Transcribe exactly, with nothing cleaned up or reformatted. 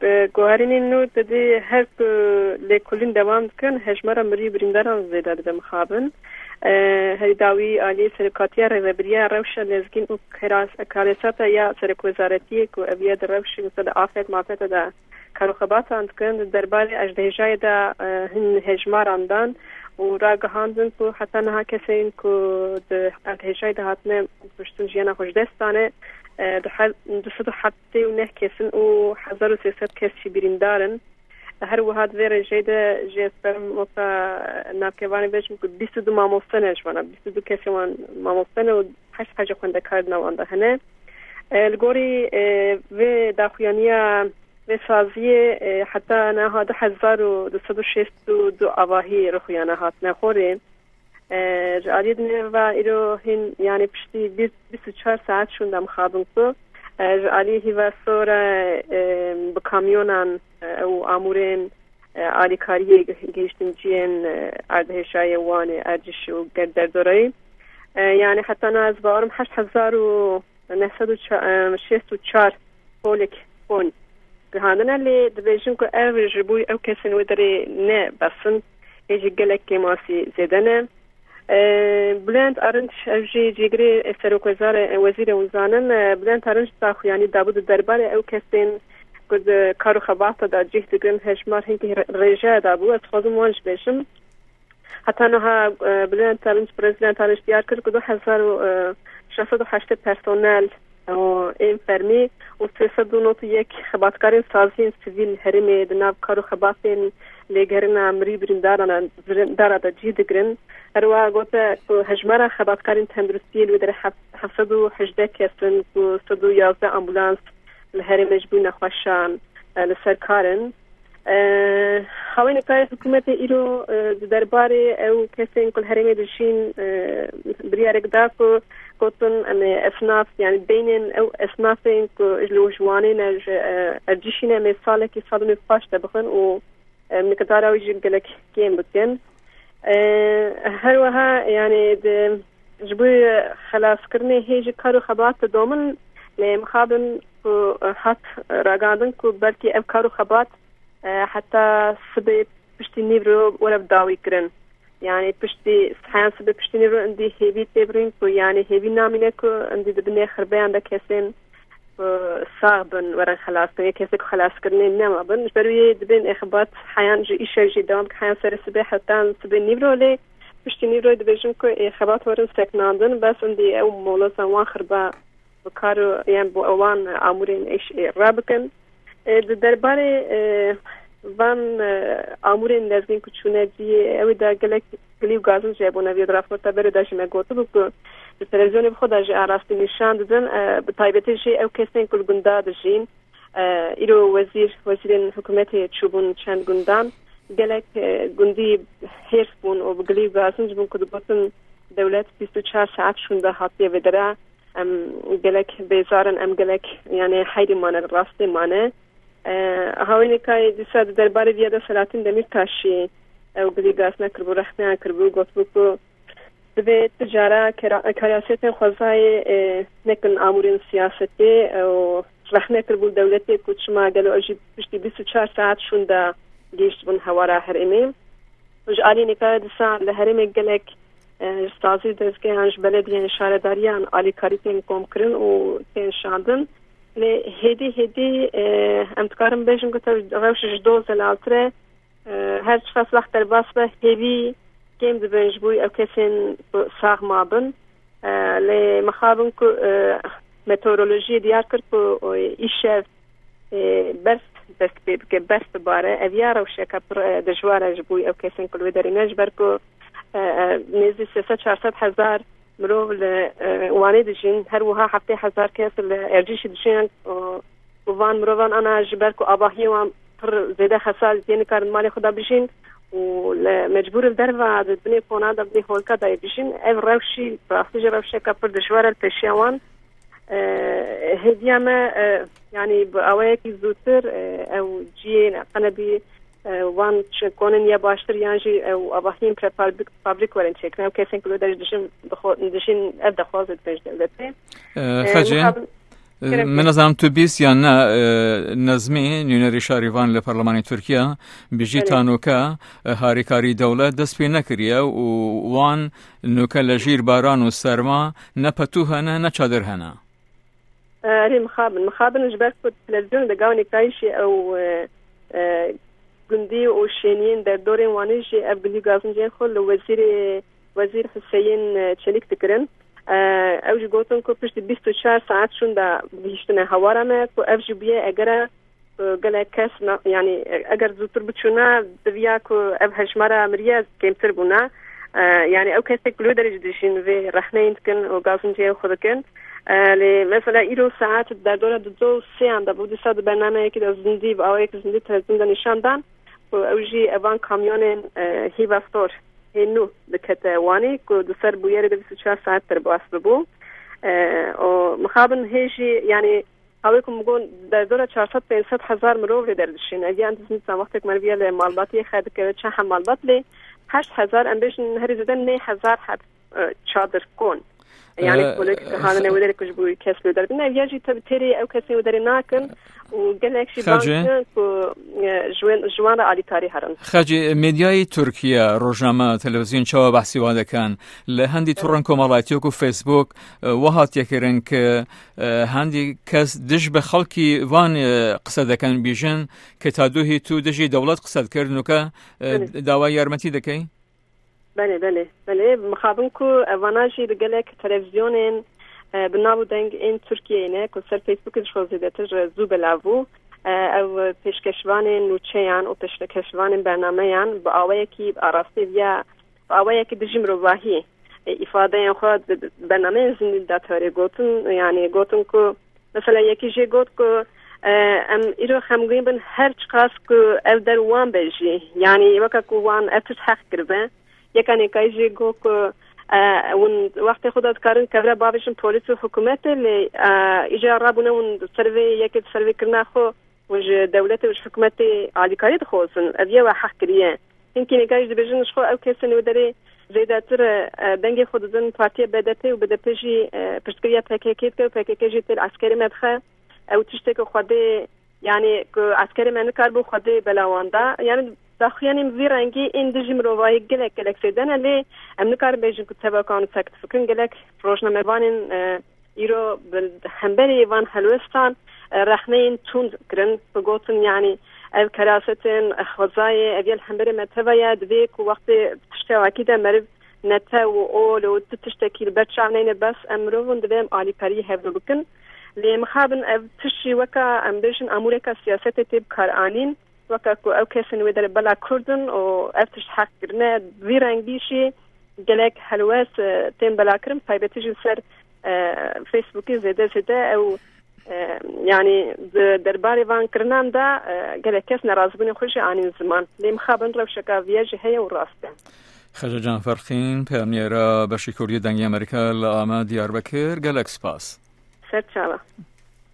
Bi guherînên nû didî her ku lêkolîn dewam dikin, hejmara mirî û birîndaran zêde dibe mixabin. E, herî dawî aliyê serokatiya rêvebiriya rewşa lezgîn û keras-, karesata ya serokwezaretiyê ku ev ya di rewşê mesela di afet mafete de kar û xebatan dikin, di derbarê erdhêjayê de, e, hin hejmaran dan û ragihandin ku heta niha kesên ku di erdhêjayê de hatine kuştin jiyana xwe ji dest dane, e, du he-, du sed û heftê û neh kesin û hezar û sê sed kes jî birîndar in. Her wiha di vê rêjeyê de jî ez karim weka navkevanê bêjim ku bîst û du mamoste ne ji wana, bîst û du kesê wan mamoste ne û heşt hece xwendekar di nav wan de hene. E, li gorî, e, vê daxuyaniya vê saziyê, e, heta niha du hezar û du sed û şêst û du avahî rixuyana hatine xorê. E, ji aliyê dinê ve îro hîn, yani piştî bîst, bîst û çar saet şûnde mixabin ku, e, ji aliyê hîva sor e, e, bi kamyonan, e, ew amûrên, e, alîkariyê gihîştin ciyên, e, erdhêjayê Wanê, Ercişî û ger-, derdoreyê. E, yani heta niha ez bawerim heşt hezar û neh sed û şêst û çar holek xon gihandine, lê dibêjin ku ev ji bo ew kesên wê derê ne bes in, hê jî gelek kêmasî zêde ne. E, Bülent Arınç, ev jî cîgirê serokwezarê, wezîrê hûn zanin, e, Bülent Arınç daxuyanî dabû di derbarê ew kesên ku di kar û xebata de cih digirin hejmar hinkî re-, rêje dabû. Ez dixwazim wan jî bêjim. Heta niha, e, Bülent Arınç, Prezident Arınç diyar kir ku du hezar û şeş sed û heştê personel û ên fermî û sê sed û nod û yek xebatkarên saziyên sivîl herêmê di nav kar û xebatên lêgerîna mirî birîndaran, birîndara de cî digirin. Her wiha gote ku hejmara xebatkarên tenduristiyê li wê derê heft-, heft sed û hejdeh kes in ku sed û yazdeh ambulans li herêmê ji bo nexweşan, e, li ser kar in. E, Hawêneka hikûmetê îro, e, di derbarê ew kesên ku li herêmê dijîn, e, biryarek da ku gotin, em ê esnaf, yani beynên ew esnafên ku ji li ji Wanê ne, ji, e, Ercişî ne, em ê salekî sal û nîv paş de bixin û, e, miqdara wî jî gelek kêm bikin. E, Her wiha, yani di, ji bo xelaskirinê hê jî kar û xebat didomin, lê mixabin ku hat ragihandin ku belkî ev kar û xebat, e, heta sibê piştî nîvro were bi dawî kirin. Yani piştî, heyan sibê piştî nîvro indî hêvî tê birîn ku, yani hêvî namîne ku indî di binê xirbeyan de kesên ku sax bin werin xelas kirin, yê kesê ku xelaskirinê nema bin. Ji ber wê dibên êxebat heyan ji îşev jî dewam dikin, heyan serê sibê hetan sibê nîvro, lê piştî nîvroyê dibêjin ku êxebat werin sekinandin, bes indî ew moloza wan xirba bi kar û, yan bo wan amûrên êş ê rabikin. E, di derbarê, e, van, e, amûrên lezgîn ku çûne cihê, ew ê de gelek gilî û gazin jî hebûne. Vê di raporta berê de jî me gotibû ku di televîzyonê bi xwe de jî arastî nîşan didin. E, bi taybetî jî ew kesên ku li gunda dijîn, e, îro wezîr, wezîrên hikûmetê çûbûn çend gundan. Gelek, e, gundî hêrs bûn û bi gilî û gazin jî bûn ku digotin dewlet bîst û çar saet şûnde hatiye vê dera. Em gelek bêzar in, em gelek, yani, heyrî mane, rastê mane. E, Hawêneka dîsa di derbarê viya de Selahattin Demîrtaşî ew gilî gazine kiribû, rexneyan kiribû, gotibû ku divê tu cara kera-, karasiyetên xwezayê, e, nekin amûrên siyasetê, e, û rexne kiribû dewletê ku çima gelo ew jî piştî bîst û çar saet şûnde gihîştibûn hewara herêmê. Ji alî nîkaya dîsa li herêmê gelek, e, ji sazî dezgehan, ji belediyên şaredariyan alîkarî tên komkirin û tên şandin. Lê hêdî hêdî, e, em dikarin bêjin ku tev rewş ji do zelaltir e. E, her çiqas wext derbas be, hêvî kêm dibin ji bo ew kesên ku sax mabin. E, lê mixabin ku, e, meteorolojiyê diyar kir ku, e, îşev, e, berf dest pê bike, berf bibare. Ev ya rewşeke pir, e, dijwar e ji bo ew kesên ku li wê derê ne, ji ber ku, e, e, nêzî sê sed çar sed hezar mirov li, e, Wanê dijîn, her wiha heftê hezar kes li Ercîşî dijîn, û, û van mirovan ana ji ber ku avahiyê wan pir zêde xesar, tê nikarin malê xwe de bijîn û li mecbûr li derva di binê kona de, binê holka de yê bijîn. Ev rewşî, rastî jî rewşeke pir dijwar e li pêşiya wan. E, hêviya me, e, yanî bi awayekî zûtir, e, ew ciyê qenebî, e, wan çi konên ya baştir yan jî ew avahiyên prefabrik, fabrik werin çêkirin. Ew kesên ku li wê derê dijin, dixwe-, dijîn, ev dexwazê dibin ji dewletê. E, E, Xecê, mixabin- Min nizanim tu bîst yan ne, e, Nezmî, nûnerî şarîvan li Parlemanê Tirkiye, bijî Belê. Ta nûke, e, harîkarî dewlet dest pê nekiriye û wan nûke li jîr baran û serma ne petû hene, ne çadir hene. Erê, mixabin, mixabin ji ber ku televîzyonê de gava nêkayîşê ew, e, e, gundî û şêniyên derdorên Wanê jî ev gundî gazincên xwe li wezîrê, Wezîr Huseyîn, e, Çelîk dikirin. E, ew jî gotin ku piştî bîst û çar saet şûnda gihîştine hewara me ku ev jî bûye egera ku gelek kes na-, yanî eger zûtir biçûna diviya ku ev hejmara miriye kêmtir bûna. E, yanî ew kesek ku li wê derê jî dijîn vê rexneyên dikin û gazinciyên xwe dikin. E, lê mesela îro saet derdora dudo û sêyan de bû, dîsa di bernameyekî de zindî, bi awayekî zindî televîzyonda nîşan dan ku ew jî evan kamyonên, e, hîva stor hê nû dikete Wanê ku di ser bûyerê de bîst û çar saet derbas bibû. E, û mixabin hê jî, yanî, hawê ku min got, derdora çar sed pênc sed hezar mirov lê derdişîn. Ev yan dizî dîsan wextek meriviya li malbatiyê xer dikeve, çend heb malbat lê heşt hezar, em bêjin herî zêde neh hezar heb, e, çadir kon. Yanî, e, kolek hanine wê derê ku ji bo kes li wê derbin. Ev ya jî tabi têrê ew kesên wê derê nakin û gelek jî Xecê. Bankin ku, e, ji wen, ji wan re alîkarî herin. Xecê, medyayê Tirkiye, rojname, televîzyon çawa behsî wan dikin? Li hendî torên komelayîtî wekû Facebook, e, wiha hatiye kirin ku, e, hendî kes dij bi xelkî van, e, qise dikin, bêjin ku ta dûhî tu dijî dewlet qise dikir, nûke, e, Belê. Dawa yarmetî dikey? Belê, belê, belê. Mixabin ku evana jî li gelek televîzyonên, e, bi nav û deng ên Tirkiyeyê ne, ku ser Facebookê ji xwe zêdetir, e, zû belav bû. E, ev pêşkeşvanên nûçeyan û pêşkeşvanên bernameyan bi awayekî, bi arastê viya, bi awayekî dijî mirovahî, e, îfadeyên xwe di, di bernameyên zindî de tewrê gotin, yanî gotin ku, mesela, yekî jê got ku, e, em îro xemgîn bin, her çiqas ku ev der wan be jî, yanî weke ku wan ev tişt heq kiribe. Yeka nêkayî jê got ku, e, hûn wextê xwe de dikarin kevre bavêjin polîs û hikûmetê, lê, e, îcar rabûne hûn di ser vê yekê, di ser vê kirina xwe, hûn ji dewletê û ji hikûmetê alîkarî dixwazin. Ev ye we heq kiriye. Hinkî nêkayî jî dibêjin ji xwe ew kesên wê derê zêdetir, e, dengê xwe didin partiya B D P û B D P jî, e, piştgiriya P K K dike û P K K jî têl eskerê me dixe. Ew tiştê ku Xwedê, yanî ku eskerê me nikaribû Xwedê bela wan da. Yanî daxuyanên vî rengî ên dijî mirovahî gelek, gelek zêde ne, lê em nikarin bêjin ku tevaka wan sekt bikin. Gelek rojnamevanên, e, îro bi hemberî van helwestan, e, rexneyên tund kirin, bi gotin, yanî ev kerasetên xwezayê, ev ya li hemberî me teva ye, divê ku wextê tiştê wekî de meriv netew û ol û tu tiştekî li ber çav neyne, bes em mirovin divê em alîkariyê hevdu bikin. Lê mixabin ev tişt jî weka, em bêjin, amûreka siyasetê tê bikaranîn, weke ku ew kesên wê derê bela Kurd in û ev tişt heq kirine, vî rengî jî gelek helwest, e, tên belakirin, taybetî jî li ser, e, Facebookê zêde zêde ew, e, yanî di derbarê van kirinan de, e, gelek kes nerazîbûnê xwe jî anîn ziman. Lê mixabin rewşeka viya jî heye û rast e. Xece Can Ferqîn, peyamnêra beşê Kurdî Dengê Amerîka li Amed Diyarbekir, gelek spas. Ser çava.